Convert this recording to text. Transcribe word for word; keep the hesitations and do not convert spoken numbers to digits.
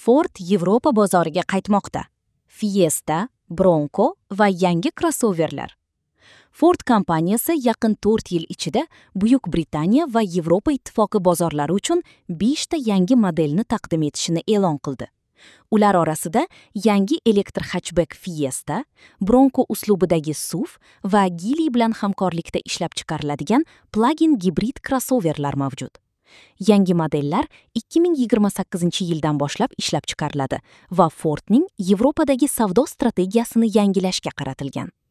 Ford Yevropa bozoriga qaytmoqda. Fiesta, Bronco va yangi krossoverlar. Ford kompaniyasi yaqin to'rt yil ichida Buyuk Britaniya va Yevropa Ittifoqi bozorlari uchun besh ta yangi modelni taqdim etishini e'lon qildi. Ular orasida yangi elektr hatchback Fiesta, Bronco uslubidagi S U V va Geely bilan hamkorlikda ishlab chiqariladigan plug-in gibrid krossoverlar mavjud. Yangi modellar ikki ming yigirma sakkizinchi yildan boshlab ishlab chiqariladi va Fordning Yevropadagi savdo strategiyasini yangilashga qaratilgan.